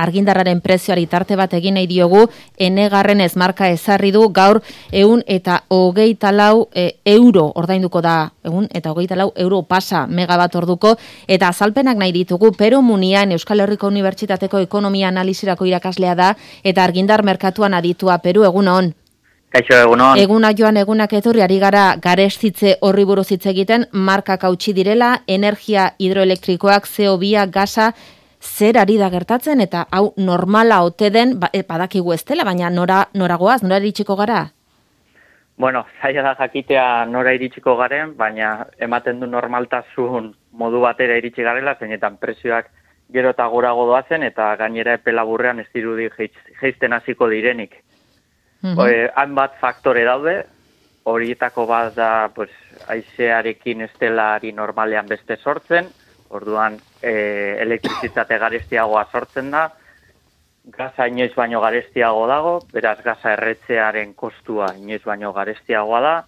argindarraren prezioari tarte bat egin nahi diogu, Enegarren marka ezarri du gaur 124 euro ordainduko da, 124 euro pasa megabat orduko, eta azalpenak nahi ditugu. Pero Munian Euskal Herriko Unibertsitateko ekonomia analisirako irakaslea da, eta argindar merkatuan aditua. Peru, egunon. Kaixo, egunon. Eguna joan egunak etorri ari gara garestitze horri buruz hitz egiten, markak hautsi direla, energia hidroelektrikoak, CO2, gasa, zer ari da gertatzen, eta hau normala ote den, badakigu ez dela, baina nora goaz, nora iritsiko gara? Bueno, zaila da jakitea nora iritsiko garen, baina ematen du normaltasun modu batera iritsi garela, zeinetan prezioak gero eta gorago doazen, eta gainera epe laburrean ez dirudi jeizten hasiko direnik. Hainbat faktore daude, horietako bat da haizearekin estelari normalean beste sortzen, orduan elektrizitate garestiagoa sortzen da, gaza inoiz baino garestiago dago, beraz gaza erretzearen kostua inoiz baino garestiagoa da,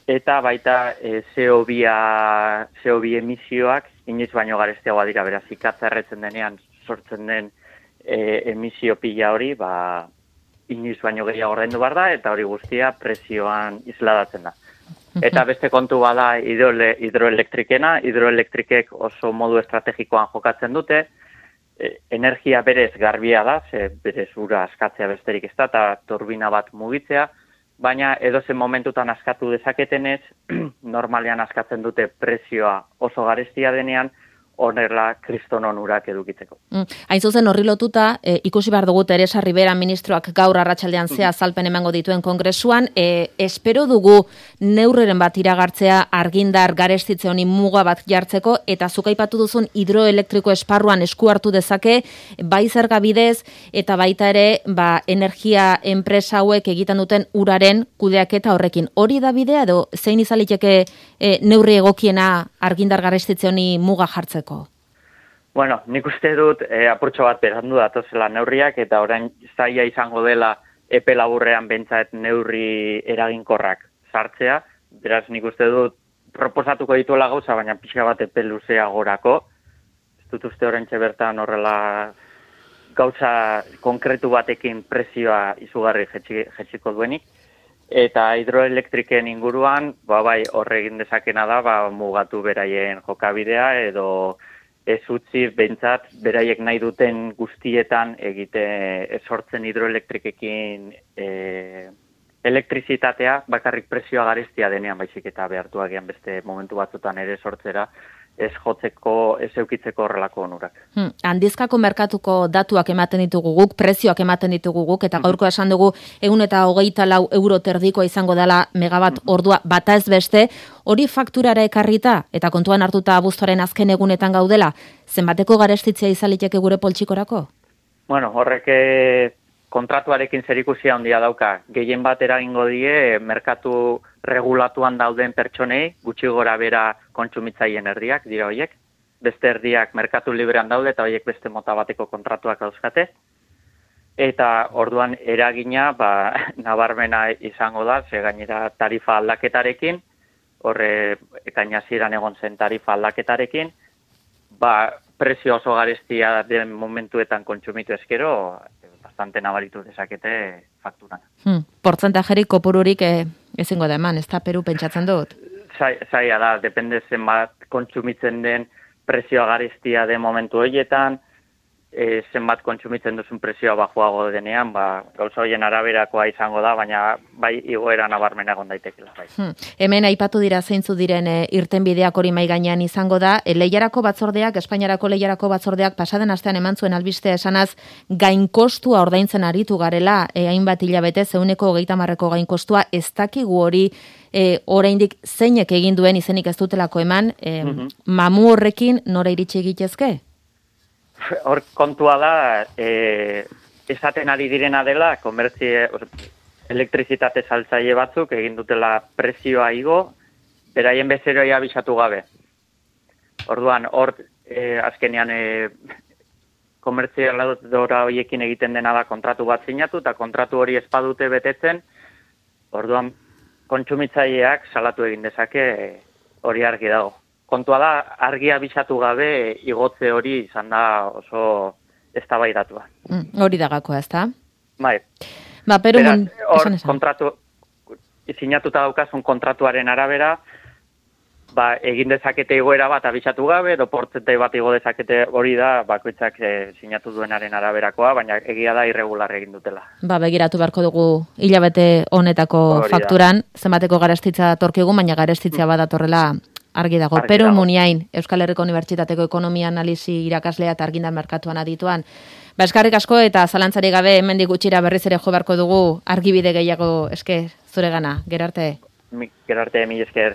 eta baita CO2 emisioak inoiz baino garestiagoa dira, beraz ikatza erretzen denean sortzen den emisio pila hori, inoiz baino gehiago ordaindu behar da, eta hori guztia prezioan isladatzen da. Eta beste kontu bada hidroelektrikena, hidroelektrikek oso modu estrategikoan jokatzen dute, energia berez garbia da, berez ura askatzea besterik ez da, eta turbina bat mugitzea, baina edozen momentutan askatu dezaketenez, normalean askatzen dute prezioa oso garestia denean, honela kriston onurak edukitzeko. Hain zuzen horri lotuta, ikusi behar dugu Teresa Rivera ministroak gaur arratsaldean azalpen emango dituen kongresuan, espero dugu neurreren bat iragartzea argindar garestitze honi muga bat jartzeko, eta zuk aipatu duzun hidroelektriko esparruan esku hartu dezake, bai zerga bidez, eta baita ere energia enpresa hauek egiten duten uraren kudeaketa horrekin. Hori da bidea edo zein izaliteke neurri egokiena argindar garestitze honi muga jartzeko? Bueno, nik uste dut apurtxo bat berandu datozela neurriak, eta orain zaila izango dela epe laburrean bentsat neurri eraginkorrak sartzea. Beraz, nik uste dut proposatuko dituela gauza, baina pixka bat epe luzea gorako. Ez dut uste oraintxe bertan horrela gauza konkretu batekin prezioa izugarri jetxiko duenik. Eta hidroelektriken inguruan, bai, horregin dezakena da, mugatu beraien jokabidea, edo ez utzi bentsat beraiek nahi duten guztietan egite sortzen hidroelektrikekin elektrizitatea bakarrik prezioa garestia denean, baizik eta behartu agian beste momentu batzutan ere sortzera, ez jotzeko, ez eukitzeko horrelako onurak. Handizkako merkatuko datuak ematen ditugu guk, prezioak ematen ditugu guk, eta gaurko esan dugu 124 euro terdikoa izango dela megabat ordua bata ez beste, hori fakturara ekarrita, eta kontuan hartuta abuztuaren azken egunetan gaudela, zenbateko garestitzea izaliteke gure poltsikorako? Bueno, horrek kontratuarekin zerikusia handia dauka. Gehien bat eragingo die merkatu regulatuan dauden pertsonei, gutxi gora bera kontsumitzaileen erdiak, dira horiek. Beste erdiak merkatu librean daude, eta horiek beste mota bateko kontratuak dauzkate. Eta orduan eragina, nabarmena izango da, ze gainera tarifa aldaketarekin, horre ekainazieran egon zen tarifa aldaketarekin, prezio oso garestia den momentuetan kontsumitu ezkero, bastante nabaritu dezakete fakturan. Portzentajerik kopururik ezingo da eman, ez da Peru pentsatzen dut? Zaila da, depende zenbat kontsumitzen den prezioa garestia den momentu horietan, zenbat kontsumitzen duzun prezioa bajuago denean, gauza horien araberakoa izango da, baina bai igoera nabarmena egon daitekela. Hemen aipatu dira zeintzu diren irtenbideak hori mai gainean izango da. Lehiarako batzordeak, Espainiarako lehiarako batzordeak pasaden astean eman zuen albistea esanaz gainkostua ordaintzen aritu garela, hainbat hilabete 130ko gainkostua, ez dakigu hori oraindik zeinek egin duen izenik ez dutelako eman, mamu horrekin nora iritsi egitezke? Hor kontua da, esaten ari direna dela, elektrizitate saltzaile batzuk egin dutela prezioa igo, beraien bezeroia abisatu gabe. Orduan, hor azkenean komertzialadora horiekin egiten dena da kontratu bat sinatu, eta kontratu hori espadute betetzen, orduan kontsumitzaileak salatu egin dezake hori argi dago. Kontua da, argia bisatu gabe igotze hori izan da oso eztabaidatua. Hori da gakoa, ezta? Bai. Peru Beraz, kontratu sinatuta daukazun kontratuaren arabera, egin dezakete igoera bat abisatu gabe, edo portzentai bat igo dezakete, hori da bakoitzak sinatu duenaren araberakoa, baina egia da irregular egin dutela. Begiratu beharko dugu hilabete honetako fakturan, zenbateko garestitza datorkigu, baina garestitzea badatorrela argi dago. Peru Muniain, Euskal Herriko Unibertsitateko Ekonomia Analisi irakaslea eta argindar merkatuan adituan. Eskarrik asko eta zalantzari gabe hemendik gutxira berriz ere jo beharko dugu argibide gehiago eske zuregana. Gerarte. Gerarte, mil esker.